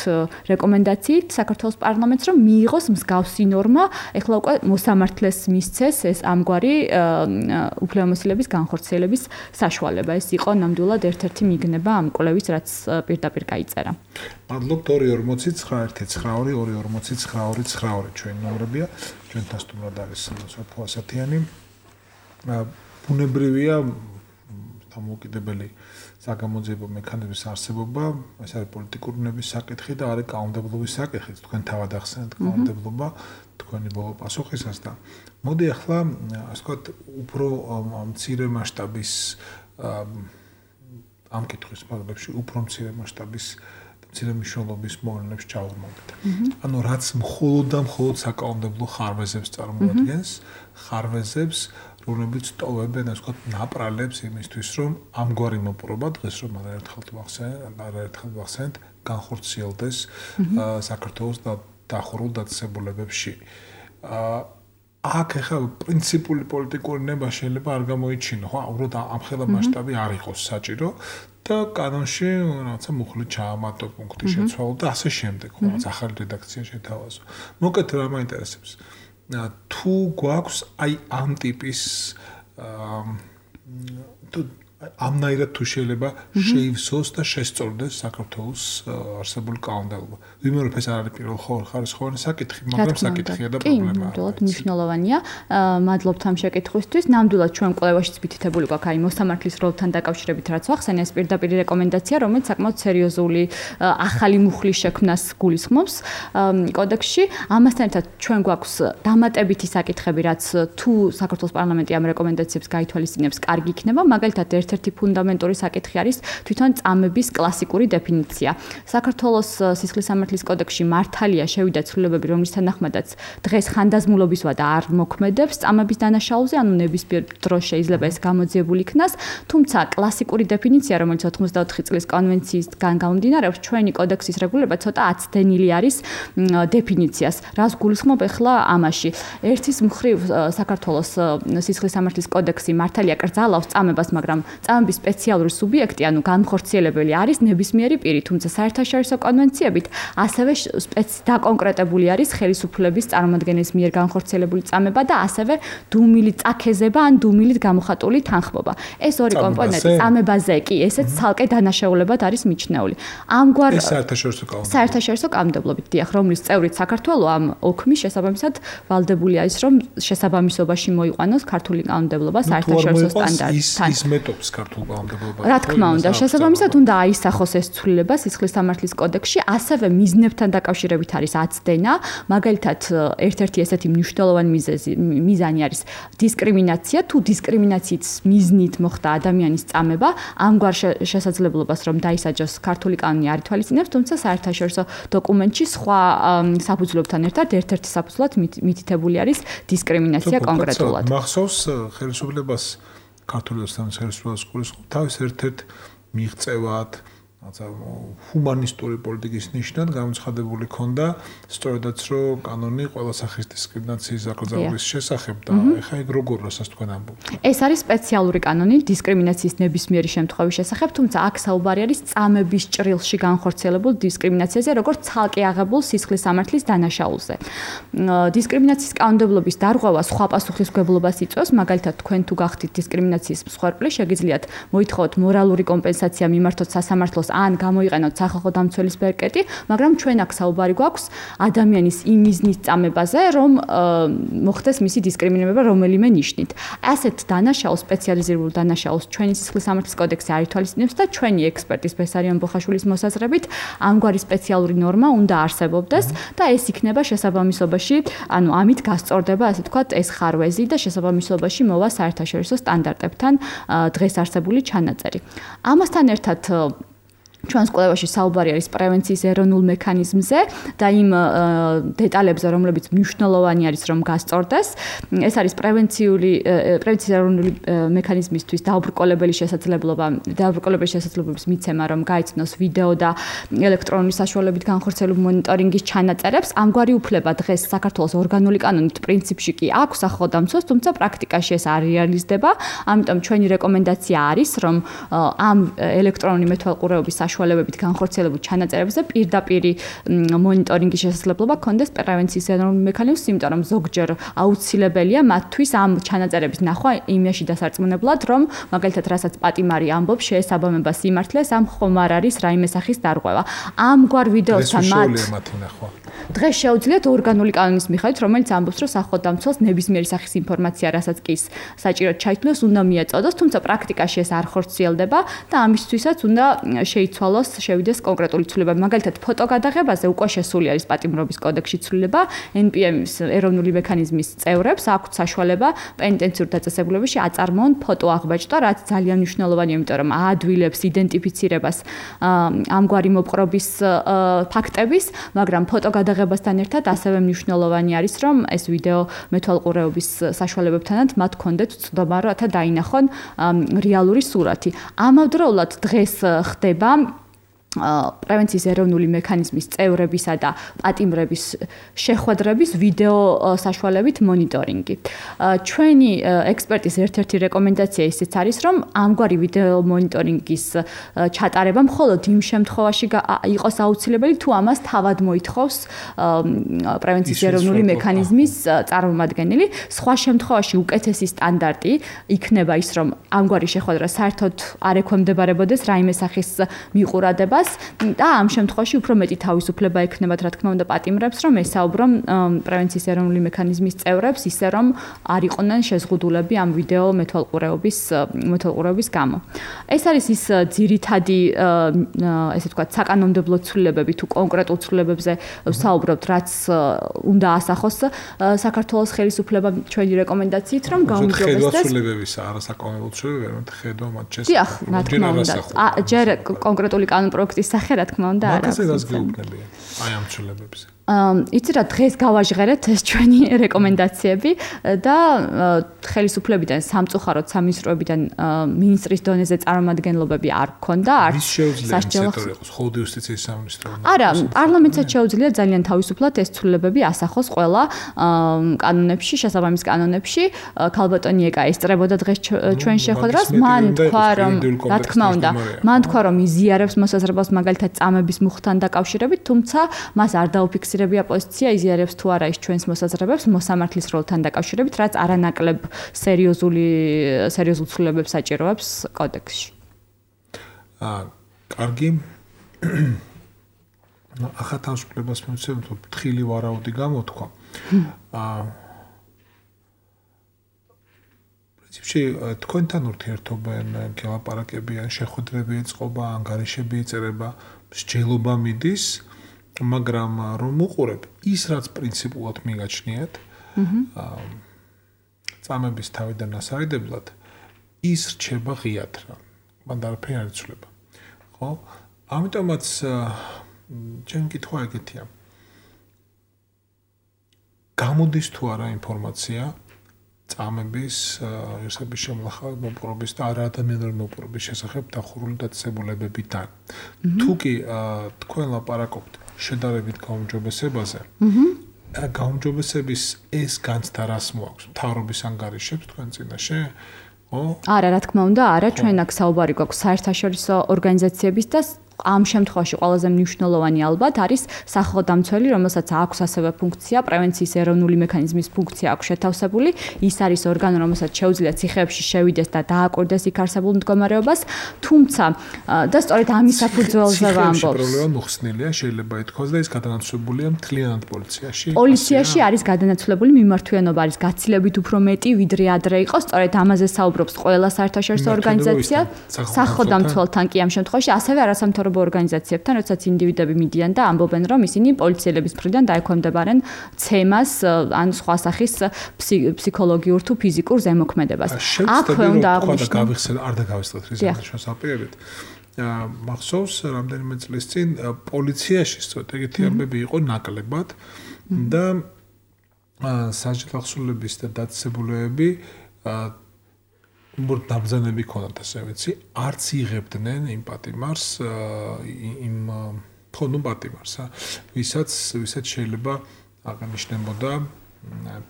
რეკომენდაციით საქართველოს პარლამენტს, რომ მიიღოს მსგავსი ნორმა, ეხლა უკვე მოსამართლეს მისცეს ეს ამგვარი უფლებამოსილების განხორციელების საშუალება. ეს იყო ნამდვილად ერთ-ერთი მიგნება ამ კვლევის, რაც პირდაპირ გაიწერა. მადლობთ 249-249-249 ჩვენი ნომრებია, ჩვენთან სტუმრად არის სოფო ასათიანი. ბუნებრივია დამოუკიდებელი საგამოძიებო მექანიზმის არსებობა, ეს არის პოლიტიკური უნების საკითხი და არის კანონმდებლობის საკითხი. თქვენ თავად ახსენეთ კანონმდებლობა, თქვენი ბოლო პასუხისას და მოდი ახლა ასე ვთქვათ, უფრო მცირე მასშტაბის ამ კითხვის ფარგლებში, უფრო მცირე მასშტაბის მცირე მნიშვნელობის მოვლენებს ჩავღმავდეთ. ანუ რაც მხოლოდ და მხოლოდ საკანონმდებლო ხარვეზებს წარმოადგენს, ხარვეზებს რომლებიც ტოვებენ, ასე ვთქვათ, ნაპრალებს იმისთვის, რომ ამგვარი მოპყრობა დღეს რომ არაერთხელ ვახსენეთ, განხორციელდეს საქართველოს დახურულ დაწესებულებებში. აქ ახლა პრინციპული პოლიტიკური ნება შეიძლება არ გამოიჩინო, ხო? უბრალოდ ამხელა მასშტაბი არ იყოს საჭირო და კანონში რაღაცა მუხლი ჩაამატო პუნქტი შეცვალო და ასე შემდეგ, ხო? რაღაც ახალი რედაქცია შეთავაზო. მოკეთ რა მაინტერესებს. თუ გვაქვს აი ამ ტიპის ამნაირად თუ შეიძლება შეივსოს და შესწორდეს საქართველოს არსებული კანონმდებლობა. ვიმეორებ ეს არ არის პირველ ხარისხოვანი საკითხი, მაგრამ საკითხია და პრობლემაა. ნამდვილად მნიშვნელოვანია. მადლობთ ამ შეკითხვისთვის. ნამდვილად ჩვენ კვლევაშიც მითითებული გვაქვს აი მოსამართლის როლთან დაკავშირებით რაც ვახსენე, ეს პირდაპირ რეკომენდაცია, რომელიც საკმაოდ სერიოზული ახალი მუხლის შექმნას გულისხმობს კოდექსში. ამასთან ერთად ჩვენ გვაქვს დამატებითი საკითხები, რაც თუ საქართველოს პარლამენტი ამ რეკომენდაციებს გაითვალისწინებს, კარგი იქნება. მაგალითად ერთ-ერთი ფუნდამენტური საკითხი არის თვითონ წამების კლასიკური დეფინიცია. საქართველოს სისხლის სამართლის კოდექსში მართალია შევიდა ცვლილებები, რომლის თანახმადაც დღეს ხანდაზმულობისვა და არ მოქმედებს წამების დანაშაულზე, ანუ ნებისმიერ დროს შეიძლება ეს გამოძიებული იქნას, თუმცა კლასიკური დეფინიცია, რომელიც 84 წლის კონვენციისგან გამომდინარეობს, ჩვენი კოდექსის რეგულირება ცოტა აცდენილი არის დეფინიციას. რას გულისხმობ ახლა ამაში? ერთის მხრივ საქართველოს სისხლის სამართლის კოდექსი მართალია კრძალავს წამებას, მაგრამ წამების სპეციალური სუბიექტი, ანუ განხორციელებელი არის ნებისმიერი პირი, თუმცა საერთაშორისო კონვენციებით ასევე დაკონკრეტებული არის ხელისუფლების წარმომადგენლის მიერ განხორციელებული წამება და ასევე დუმილი წაქეზება ან დუმილით გამოხატული თანხმობა. ეს ორი კომპონენტი წამებაზე კი ესეც ცალკე დანაშაულებად არის მიჩნეული. ამგვარ საერთაშორისო კანონმდებლობით, დიახ, რომლის წევრიც საქართველო ამ ოქმის შესაბამისად ვალდებული არის, რომ შესაბამისობაში მოიყვანოს ქართული კანონმდებლობა საერთაშორისო სტანდარტთან. ის მეტობს ქართულ კანონმდებლობას. რა თქმა უნდა, შესაბამისად უნდა აისახოს ეს ცვლილება სისხლის სამართლის კოდექსში, ასევე მიზნებთან დაკავშირებით არის აცდენა, მაგალითად, ერთ-ერთი ესეთი მნიშვნელოვანი მიზანი არის დისკრიმინაცია, თუ დისკრიმინაციის მიზნით მოხდა ადამიანის წამება, ამგვარ შესაძლებლობას რომ დაისაჯოს ქართული კანონი არ ითვალისწინებს, თუმცა საერთაშორისო დოკუმენტში სხვა საფუძვლებთან ერთად ერთ-ერთი საფუძვლად მითითებული არის დისკრიმინაცია კონკრეტულად. მახსოვს ხელისუფლებას ქართული ხელისუფლებას გულისხმობ თავის ერთ-ერთ მიღწევად ჰუმანისტური პოლიტიკის ნიშნად გამოცხადებული ქონდა სწორედაც რომ კანონი ყველა სახის დისკრიმინაციის აკრძალვის შესახებ და ეხა ეგ როგორ რასაც თქვენ ამბობთ. ეს არის სპეციალური კანონი დისკრიმინაციის ნებისმიერი შემთხვევის შესახებ, თუმცა აქ საუბარი არის წამების ჭრილში განხორციელებულ დისკრიმინაციაზე, როგორც ცალკე აღებულ სისხლის სამართლის დანაშაულზე. დისკრიმინაციის კანონმდებლობის დარღვევა სხვა პასუხისმგებლობას იწვევს, მაგალითად, თქვენ თუ გახდით დისკრიმინაციის მსხვერპლი, შეგიძლიათ მოითხოვოთ მორალური კომპენსაცია მიმართოთ სასამართლოს ან გამოიყენოთ სახალხო დამცველის ბერკეტი, მაგრამ ჩვენ აქ საუბარი გვაქვს ადამიანის იმ მიზნის წამებაზე, რომ მოხდეს მისი დისკრიმინირება რომელიმე ნიშნით. ასეთ დანაშაულს, სპეციალიზირებულ დანაშაულს ჩვენი სისხლის სამართლის კოდექსი არ ითვალისწინებს და ჩვენი ექსპერტის ბესარიონ ბოხაშვილის მოსაზრებით, ამგვარი სპეციალური ნორმა უნდა არსებობდეს და ეს იქნება შესაბამისობაში, ანუ ამით გასწორდება, ასე ვთქვათ, ეს ხარვეზი და შესაბამისობაში მოვა საერთაშორისო სტანდარტებთან დღეს არსებული ჩანაწერი. ამასთან ერთად ჩვენს კვლევაში საუბარი არის პრევენციის ეროვნულ მექანიზმზე და იმ დეტალებზე, რომლებიც მნიშვნელოვანი არის, რომ გასწორდეს. ეს არის პრევენციის ეროვნული მექანიზმისთვის დაუბრკოლებელი შესაძლებლობის მიცემა, რომ გაიცნოს ვიდეო და ელექტრონული საშუალებით განხორციელებული მონიტორინგის ჩანაწერებს. ამგვარი უფლება დღეს საქართველოს ორგანული კანონით პრინციპში კი აქვს სახელმწიფოს, თუმცა პრაქტიკაში ეს არ რეალიზდება. ამიტომ ჩვენი რეკომენდაცია არის, რომ ამ ელექტრონული მეთვალყურეობის საშუალებებით განხორციელებულ ჩანაწერებზე პირდაპირ მონიტორინგის შესაძლებლობა ქონდეს პრევენციის ეროვნულ მექანიზმს, იმიტომ რომ ზოგჯერ აუცილებელია მათთვის ამ ჩანაწერების ნახვა იმაში დასარწმუნებლად, რომ მაგალითად რასაც პატიმარი ამბობს, შეესაბამება სიმართლეს, ამ ხომ არ არის რაიმე სახის დარღვევა. ამგვარ ვიდეოსთან დღეს შეუძლიათ ორგანული კანონის მიხედვით, რომელიც ამბობს, რომ სახელმწიფოს ნებისმიერი სახის ინფორმაცია, რასაც კი საჭიროდ ჩაითვლოს, უნდა მიაწოდოს, თუმცა პრაქტიკაში ეს არ ხორციელდება და ამისთვისაც უნდა შეიცვალოს, შევიდეს კონკრეტული ცვლილება. მაგალითად, ფოტოგადაღებაზე უკვე შესული არის პატიმრობის კოდექსში ცვლილება, NPM-ის ეროვნული მექანიზმის წევრებს აქვთ საშუალება პენიტენციურ დაწესებულებაში აწარმოონ ფოტოაღბაჭდა, რაც ძალიან მნიშვნელოვანია, იმიტომ რომ აადვილებს იდენტიფიცირებას ამგვარი მოპყრობის ფაქტების, მაგრამ ფოტოგადაღებასთან ერთად ასევე მნიშვნელოვანი არის, რომ ეს ვიდეო მეთვალყურეობის საშუალებებთანაც მათ კონდეთ წვდომა, რათა დაინახონ რეალური სურათი. ამავდროულად დღეს ხდება პრევენციის ეროვნული მექანიზმის წევრებისა და პატიმრების შეხვედრების ვიდეო საშუალებით მონიტორინგი. ჩვენი ექსპერტის ერთ-ერთი რეკომენდაცია ისიც არის, რომ ამგვარი ვიდეო მონიტორინგის ჩატარება მხოლოდ იმ შემთხვევაში იყოს აუცილებელი, თუ ამას თავად მოითხოვს პრევენციის ეროვნული მექანიზმის წარმომადგენელი. სხვა შემთხვევაში უკეთესი სტანდარტი იქნება ის, რომ ამგვარი შეხვედრა საერთოდ არ ექვემდებარებოდეს რაიმე სახის მიყურადებას და ამ შემთხვევაში უფრო მეტი თავისუფლება ექნებათ, რა თქმა უნდა, პატიმრებს, რომ ესაუბრონ პრევენციის ეროვნული მექანიზმის წევრებს, ისე რომ არ იყვნენ შეზღუდულები ამ ვიდეო მეთვალყურეობის გამო. ეს არის ის ძირითადი, ესე ვთქვათ, საკანონმდებლო ცვლილებები თუ კონკრეტულ ცვლილებებზე ვსაუბრობთ, რაც უნდა ასახოს საქართველოს ხელისუფლებამ ჩვენი რეკომენდაციით, რომ გაუმჯობესდეს ცვლილებებისა, არასაკანონმდებლო ცვლილებები, ხედვა მათ შესახებ. დიახ, რა თქმა უნდა. ჯერ კონკრეტული კანონპროექტის სახე, რა თქმა უნდა, არა. მაგაზე რას გეუბნებიან? აი ამ ცვლილებებზე. იცი რა დღეს გავაჟღერეთ ეს ჩვენი რეკომენდაციები და ხელისუფლებიდან სამწუხაროდ სამინისტროებიდან მინისტრის დონეზე წარმომადგენლობები არ გქონდა არც სასჯელო ხოლმე იუსტიციის სამინისტრო არა პარლამენტსაც შეუძლია ძალიან თავისუფლად ეს ცვლილებები ასახოს ყველა კანონებში შესაბამის კანონებში ქალბატონი ეკა ესწრებოდა დღეს ჩვენ შეხვედრას მან თქვა რომ რა თქმა უნდა მან თქვა რომ იზიარებს მოსაზრებას მაგალითად წამების მუხთან დაკავშირებით თუმცა მას არ დაუფიქსირებია პოზიცია იზიარებს თუ არა ის ჩვენს მოსაზრებებს მოსამართლის როლთან დაკავშირებით რაც არანაკლებ სერიოზულ ცვლილებებს საჭიროებს კოდექსში კარგი ახლა თავისუფლებას მივცემთ თხილი ვარაუდი გამოთქვა პრინციპში თქვენთან ურთიერთობენ გელაპარაკებიან შეხვედრები ეწყობა ანგარიშები იწერება მსჯელობა მიდის მაგრამ რომ უყურებ ის რაც პრინციპულად მიგაჩნიათ წამების თავიდან ასარიდებლად ის რჩება ღიად რა მან არაფერი არ იცვლება ხო ამიტომაც ჩემი კითხვა ეგეთია გამოდის თუ არა ინფორმაცია წამების ერთების შემლახავ მოპყრობის და არაადამიანური მოპყრობის შესახებ დახურული დაწესებულებებიდან თუ კი თქვენ ლაპარაკობთ შედარებით გაუმჯობესებაზე გაუმჯობესების ეს განცდა რას მოაქვს მთავრობის ანგარიშებს თქვენ წინაშე არა რა თქმა უნდა არა ჩვენ აქ საუბარი გვაქვს საერთაშორისო ორგანიზაციების და ამ შემთხვევაში ყველაზე მნიშვნელოვანი ალბათ არის სახალხო დამცველი, რომელსაც აქვს ასევე ფუნქცია, პრევენციის ეროვნული მექანიზმის ფუნქცია აქვს შეთავსებული. ის არის ორგანო, რომელსაც შეუძლია ციხეებში შევიდეს და დააკვირდეს იქ არსებულ მდგომარეობას, თუმცა და სწორედ ამის საფუძველზე ვამბობ. პრობლემა მოხსნილია, შეიძლება ითქვას და ის გადანაცვლებულია მთლიანად პოლიციაში. პოლიციაში არის გადანაცვლებული მიმართვიანობა არის გაცილებით უფრო მეტი, ვიდრე ადრე იყო, სწორედ ამაზე საუბრობს ყველა საერთაშორისო ორგანიზაცია, სახალხო დამცველთან კი ამ შემთხვევაში ასევე არასამთავრობო ორგანიზაციებთან, როდესაც ინდივიდები მიდიან და ამბობენ, რომ ისინი პოლიციელების მხრიდან დაექვემდებარენ ცემას ან სხვა სახის ფსიქოლოგიურ თუ ფიზიკურ ზემოქმედებას. აქვე უნდა აღვნიშნოს, არ დაგავიწყოთ რიზმის აპირებით. მახსოვს რამდენიმე წლის წინ პოლიციაში სწორედ ეგეთი ამბები იყო ნაკლებად და სასჯელო ახსულების და დაწესებულებები დაბრძანები ქონდათ ასე ვიცი, არც იღებდნენ იმ პატიმარს, იმ პატიმარს, ვისაც შეიძლება აღნიშნებოდა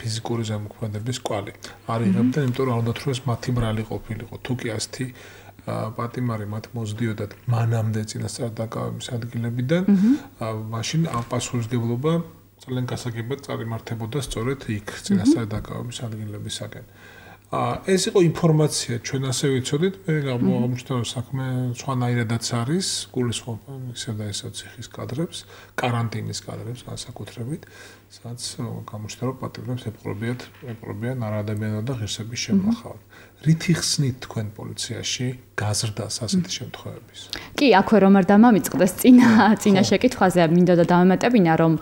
ფიზიკური ზემოქმედების კვალი. არ იღებდნენ, იმიტომ რომ უნდა თქოს მათი ბრალი ყოფილიყო. თუ კი ასეთი პატიმარი მათ მოძდიოდათ მანამდე წინასწარ დაკავების ადგილებიდან, მაშინ ამ პასუხისმგებლობა ძალიან გასაგებად წარიმართებოდა სწორედ იქ წინასწარ დაკავების ადგილებისაკენ. ეს იყო ინფორმაცია, ჩვენ ასე ვიცოდით, მე გამოვამუშავე რომ საქმე სხვანაირადაც არის, გულისხმობა ისე და ისე ციხის კადრებს, კარანტინის კადრებს განსაკუთრებით, სადაც გამოვამუშავე რომ პატიმრებს ეპყრობიან არაადამიანო და ღირსების შემლახავად. რითი ხსნით თქვენ პოლიციაში გაზრდას ასეთი შემთხვევების? კი, აქვე რომ არ დამამიწყდეს წინა შეკითხვაზე, მინდოდა დავემატებინა, რომ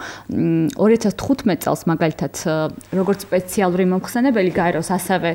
2015 წელს მაგალითად როგორც სპეციალური მომხსენებელი გაეროს, ასევე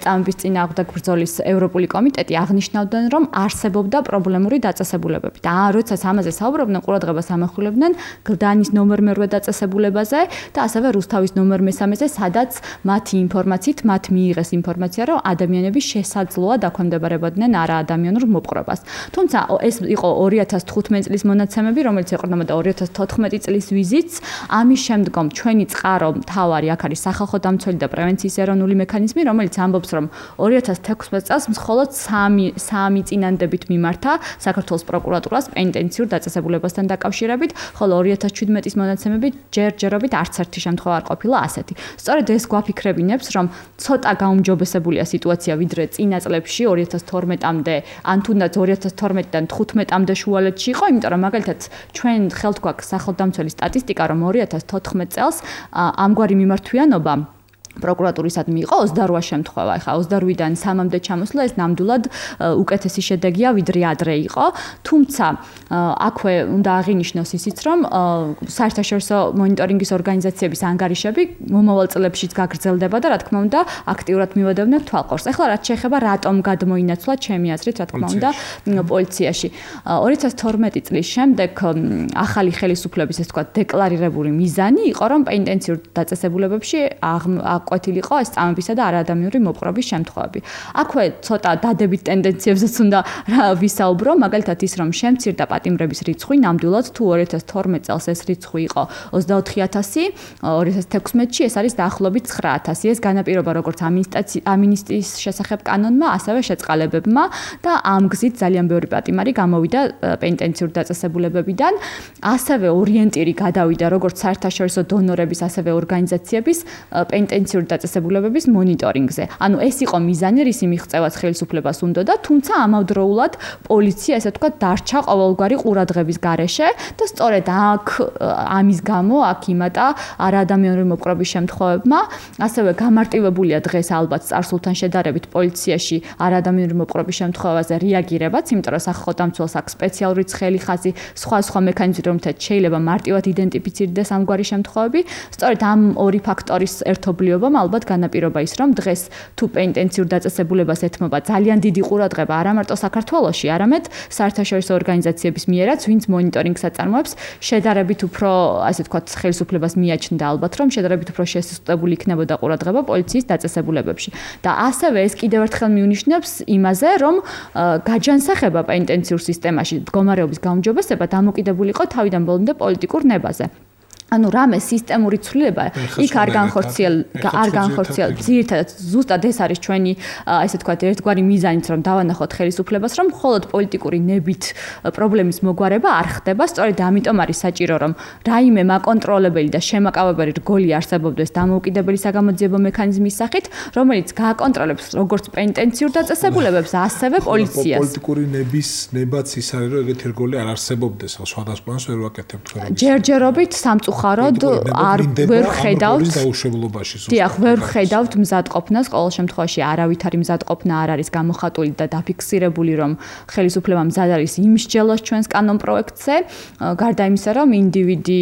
წამების წინააღმდეგ ბრძოლის ევროპული კომიტეტი აღნიშნავდნენ, რომ არსებობდა პრობლემური დაწესებულებები. და როდესაც ამაზე საუბრობდნენ, ყურადღებას ამახვილებდნენ გლდანის ნომერ მერვე დაწესებულებაზე და ასევე რუსთავის ნომერ მესამეზე, სადაც მათი ინფორმაციით, მათ მიიღეს ინფორმაცია, რომ ადამიანები შესაძლოა დაქვემდებარებოდნენ არაადამიანურ მოპყრობას. თუმცა ეს იყო 2015 წლის მონაცემები, რომელიც ეყრდნობოდა 2014 წლის ვიზიტს. ამის შემდგომ ჩვენი წყარო მთავარი აქ არის სახალხო დამცველი და პრევენციის ეროვნული მექანიზმი, რომელიც ამბობს, რომ 2016 წელს მხოლოდ 3 წინანდებით მიმართა საქართველოს პროკურატურას პენტენციურ დაწესებულებასთან დაკავშირებით, ხოლო 2017 მონაცემები ჯერჯერობით არც ერთი შემთხვევა არ ყოფილა ასეთი. სწორედ ეს გვაფიქრებინებს, რომ ცოტა გაუმჯობესებულია სიტუაცია, ვიდრე წინა წლებში 2012-მდე, ან თუნდაც 2012-დან 15-მდე შუალედში იყო, იმიტომ რომ მაგალითად ჩვენ ხელთ გვაქვს სახელდამცველი სტატისტიკა, რომ 2014 წელს ამგვარი მიმართვიანობა პროკურატურისადმი იყო 28 შემთხვევა. ეხლა 28-დან 3-მდე ჩამოსვლა ეს ნამდვილად უკეთესი შედეგია, ვიდრე ადრე იყო. თუმცა აქვე უნდა აღინიშნოს ისიც, რომ საერთაშორისო მონიტორინგის ორგანიზაციების ანგარიშები მომავალ წლებშიც გაგრძელდება და რა თქმა უნდა აქტიურად მივედევნებთ თვალყურს. ეხლა რაც შეეხება რატომ გადმოინაცვლა ჩემი აზრით, რა თქმა უნდა, პოლიციაში. 2012 წლის შემდეგ ახალი ხელისუფლების ეს თქვა დეკლარირებული მიზანი იყო, რომ პენტენციურ დაწესებულებებში ყვეთილიყო ეს წამებისა და არაადამიანური მოპყრობის შემთხვევები. აქვე ცოტა დადებით ტენდენციებზეც უნდა ვისაუბრო, მაგალითად ის რომ შემცირდა პატიმრების რიცხვი, ნამდვილად თუ 2012 წელს ეს რიცხვი იყო 24000, 2016-ში ეს არის დაახლოებით 9000. ეს განაპირობა როგორც ამინისტიის შესახებ კანონმა, ასევე შეწყალებებმა და ამ გზით ძალიან ბევრი პატიმარი გამოვიდა პენტენციურ დაწესებულებებიდან. ასევე ორიენტირი გადავიდა როგორც საერთაშორისო დონორების, ასევე ორგანიზაციების პენტენციური დაწესებულებების მონიტორინგზე. ანუ ეს იყო მიზანი, რის მიღწევაც ხელისუფლებას უნდოდა, თუმცა ამავდროულად პოლიცია, ესე ვთქვათ, დარჩა ყოველგვარი ყურადღების გარეშე და სწორედ ამის გამო აქ იმატა არაადამიანური მოპყრობის შემთხვევებმა. ასევე გამარტივებულია დღეს ალბათ წარსულთან შედარებით პოლიციაში არაადამიანური მოპყრობის შემთხვევაზე რეაგირებაც, იმიტომ რომ სახელმწიფოს აქვს სპეციალური ცხელი ხაზი, სხვა მექანიზმი, რომელთაც შეიძლება მარტივად იდენტიფიცირდეს ამგვარი შემთხვევები. სწორედ ამ ორი ფაქტორის ერთობლიობამ ალბათ განაპირობა ის, რომ დღეს თუ პენტენციურ დაწესებულებას ეთმობა ძალიან დიდი ყურადღება არა მარტო საქართველოში, არამედ საერთაშორისო ორგანიზაციების მიერაც, ვინც მონიტორინგს აწარმოებს, შედარებით უფრო, ასე ვთქვათ, ხელისუფლებას მიაჩნდა ალბათ, რომ შედარებით უფრო შესუსტებული იქნებოდა ყურადღება პოლიციის დაწესებულებებში. და ასევე ეს კიდევ ერთხელ მიუნიშნებს იმაზე, რომ გაჯანსაღება პენტენციურ სისტემაში მდგომარეობის გაუმჯობესება დამოკიდებული იყო თავიდან ბოლომდე პოლიტიკურ ნებაზე. ანუ რამე სისტემური ცვლილება იქ არ განხორციელდა. ძირითადად ზუსტად ეს არის ჩვენი, ესე ვთქვათ, ერთგვარი მიზანიც, რომ დავანახოთ ხელისუფლებას, რომ მხოლოდ პოლიტიკური ნებით პრობლემის მოგვარება არ ხდება. სწორედ ამიტომ არის საჭირო, რომ რაიმე მაკონტროლებელი და შემაკავებელი რგოლი არსებობდეს დამოუკიდებელი საგამოძიებო მექანიზმის სახით, რომელიც გააკონტროლებს როგორც პენტენციურ დაწესებულებებს, ასევე პოლიციას. პოლიტიკური ნებაც ის არის, რომ ეგეთი რგოლი არ არსებობდეს, სხვადასხვას ვერ ვაკეთებთ ხოლმე. ჯერჯერობით სამწუხაროდ ვერ ხედავთ დაუშვებლობაში. დიახ, ვერ ხედავთ მზადყოფნას, ყოველ შემთხვევაში არავითარი მზადყოფნა არ არის გამოხატული და დაფიქსირებული, რომ ხელისუფლება მზად არის იმ მსჯელოს ჩვენს კანონპროექტზე, გარდა იმისა, რომ ინდივიდი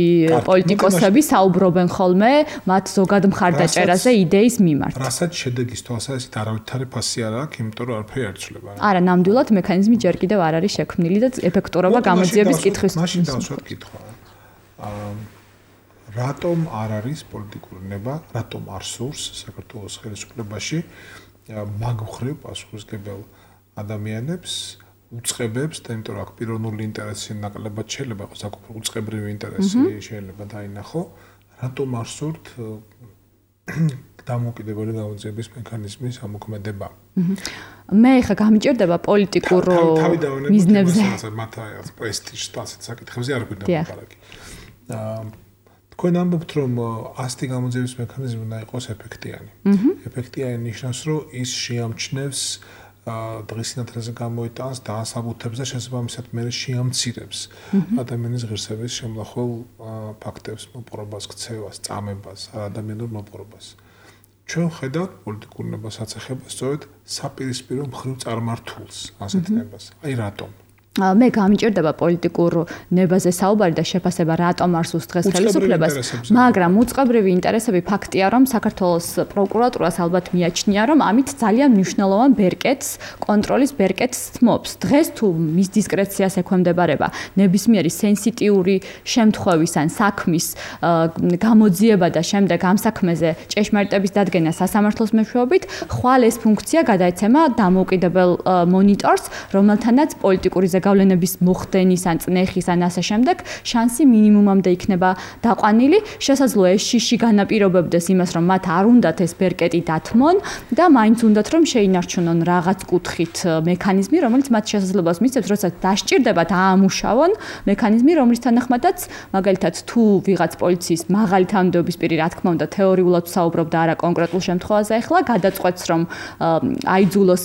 პოლიტიკოსები საუბრობენ ხოლმე მათ ზოგად მხარდაჭერაზე იდეის მიმართ. რასაც შედეგის თვალსაზრისით არავითარი ფასი არ აქვს, იმიტომ რომ არაფერი არ იცვლება. არა, ნამდვილად მექანიზმი ჯერ კიდევ არ არის შექმნილი და ეფექტურობა გამოძიების კითხვის. მაშინ დავსვათ კითხვა. რატომ არ არის პოლიტიკური ნება, რატომ არ სურს საქართველოს ხელისუფლებაში მაგხრივ პასუხისმგებელ ადამიანებს, უწყებებს, და იმიტომ რომ აქ პიროვნული ინტერესი ნაკლებად შეიძლება იყოს, აქ უწყებრივი ინტერესი შეიძლება დაინახო, რატომ არ სურთ დამოუკიდებელი გამოძიების მექანიზმის ამოქმედება. მე ხა გამიჭირდება პოლიტიკურ მიზნებზე. მათ აი პრესტიჟს ასეთ საკითხებზე არ გვინდა მოპარაკი. თქვენ ამბობთ, რომ ასეთი გამოძიების მექანიზმი უნდა იყოს ეფექტიანი. ეფექტიანი ნიშნავს, რომ ის შეამჩნევს დღის სინათლეზე გამოიტანს დაასაბუთებს და შესაბამისად მე შეამცირებს ადამიანის ღირსების შემლახულ ფაქტებს, მოპყრობას, ქცევას, წამებას, არაადამიანურ მოპყრობას. ჩვენ ხედავთ პოლიტიკურ ნებას აწეხებას სწორედ საპირისპირო მხრივ წარმართულს ასეთ ნებას. აი რატომ? მე გამიჭირდება პოლიტიკურ ნებაზე საუბარი და შეფასება რატომ არ სურს დღეს ხელისუფლებას, მაგრამ უწყებრივი ინტერესები ფაქტია, რომ საქართველოს პროკურატურას ალბათ მიაჩნია, რომ ამით ძალიან მნიშვნელოვან ბერკეტს, კონტროლის ბერკეტს თმობს. დღეს თუ მის დისკრეციას ექვემდებარება ნებისმიერი სენსიტიური შემთხვევის ან საქმის გამოძიება და შემდეგ ამ საქმეზე ჭეშმარიტების დადგენა სასამართლოს მეშვეობით, ხვალ ეს ფუნქცია გადაეცემა დამოუკიდებელ მონიტორს, რომელთანაც პოლიტიკური გავლენების მოხდენის ან წნეხის ან ასე შემდეგ შანსი მინიმუმამდე იქნება დაყვანილი. შესაძლოა ეს შიში განაპირობებდეს იმას, რომ მათ არ უნდათ ეს ბერკეტი დათმონ და მაინც უნდათ რომ შეინარჩუნონ რაღაც კუთხით მექანიზმი, რომელიც მათ შესაძლებლობას მისცემს, როცა დასჭირდებათ აამუშავონ მექანიზმი, რომლის თანახმადაც მაგალითად თუ ვიღაც პოლიციის მაღალი თანამდებობის პირი, რა თქმა უნდა, თეორიულად საუბრობ და არა კონკრეტულ შემთხვევაზე, ახლა გადაწყვეტს, რომ აიძულოს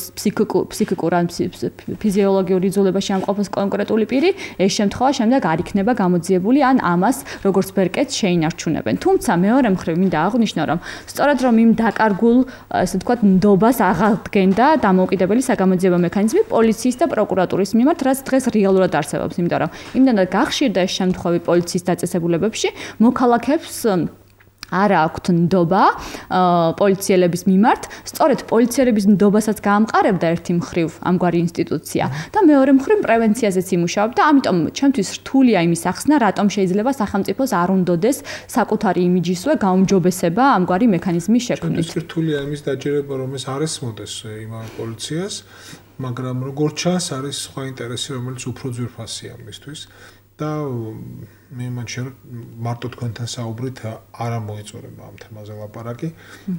ფსიქიკურ ან ფიზიოლოგიური იძულებაში ამყოფ ყოფილ კონკრეტული პირი, ეს შემთხვევა შემდეგ არ იქნება გამოძიებული ან ამას როგორც ბერკეტს შეინარჩუნებენ. თუმცა მეორე მხრივ მინდა აღვნიშნო, რომ სწორედ რომ იმ დაკარგულ, ასე ვთქვათ, ნდობას აღადგენდა დამოუკიდებელი საგამოძიებო მექანიზმი პოლიციის და პროკურატურის მიმართ, რაც დღეს რეალურად არსებობს, იმიტომ რომ იმდენად გახშირდა ეს შემთხვევები პოლიციის დაწესებულებებში, მოქალაქეებს არა აქვთ ნდობა პოლიციელების მიმართ, სწორედ პოლიციელების ნდობასაც გაამყარებდა ერთი მხრივ ამგვარი ინსტიტუცია და მეორე მხრივ პრევენციაზეც იმუშავებდა, ამიტომ ჩემთვის რთულია იმის ახსნა, რატომ შეიძლება სახელმწიფოს არ უნდოდეს საკუთარი იმიჯისვე გაუმჯობესება ამგვარი მექანიზმის შექმნით. რთულია იმის დაჯერება, რომ ეს არ ესმოდეს იმავე პოლიციას, მაგრამ როგორც ჩანს, არის სხვა ინტერესი, რომელიც უფრო ძვირფასია მისთვის. და მე მაშინ მარტო თქვენთან საუბრით არ მოიწურება ამ თემაზე ლაპარაკი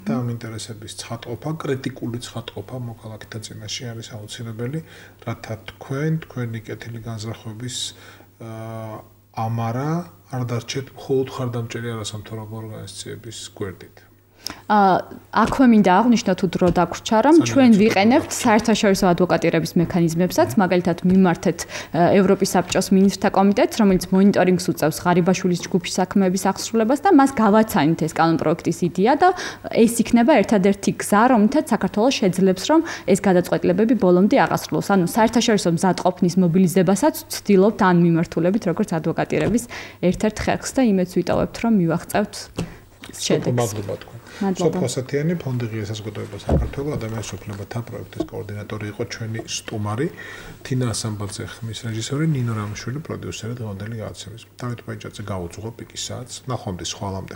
და ამ ინტერესების ცხადყოფა, კრიტიკული ცხადყოფა მოქალაქეთა წინაშე არის აუცილებელი, რათა თქვენი კეთილი განზრახვების ამარა არ დარჩეთ მხოლოდ ხარდამჭერი არასამთავრობო ორგანიზაციების გვერდით. აქვე მინდა აღვნიშნო თუ დრო დაგვრჩა, რომ ჩვენ ვიყენებთ საერთაშორისო ადვოკატირების მექანიზმებსაც, მაგალითად მიმართეთ ევროპის საბჭოს მინისტრთა კომიტეტს, რომელიც მონიტორინგს უწევს ღარიბაშვილის ჯგუფის საქმეების აღსრულებას და მას გავაცანით ეს კანონპროექტის იდეა და ეს იქნება ერთადერთი გზა, რომლითაც საქართველოს შეძლებს, რომ ეს გადაწყვეტილებები ბოლომდე აღასრულოს. ანუ საერთაშორისო მზადყოფნის მობილიზებასაც ვცდილობთ ან მიმართულებით, როგორც ადვოკატირების ერთ-ერთ ხერხს და იმედს ვიტოვებთ, რომ მივაღწევთ შედეგს. მადლობა თქვენ. სოფო ასათიანი ფონდი ღია საზოგადოება საქართველოს ადამიანის უფლებათა პროექტის კოორდინატორი იყო ჩვენი სტუმარი თინა ასამბაძე, ხმის რეჟისორი ნინო რამიშვილი, პროდიუსერი დღევანდელი გადაცემის. დავით პაიჭაძე გაუძღო პიკის საათს. ნახვამდის ხვალამდე.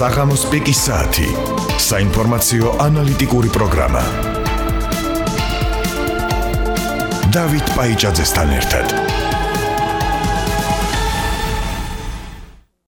საღამოს პიკის საათი. საინფორმაციო ანალიტიკური პროგრამა. დავით პაიჭაძესთან ერთად.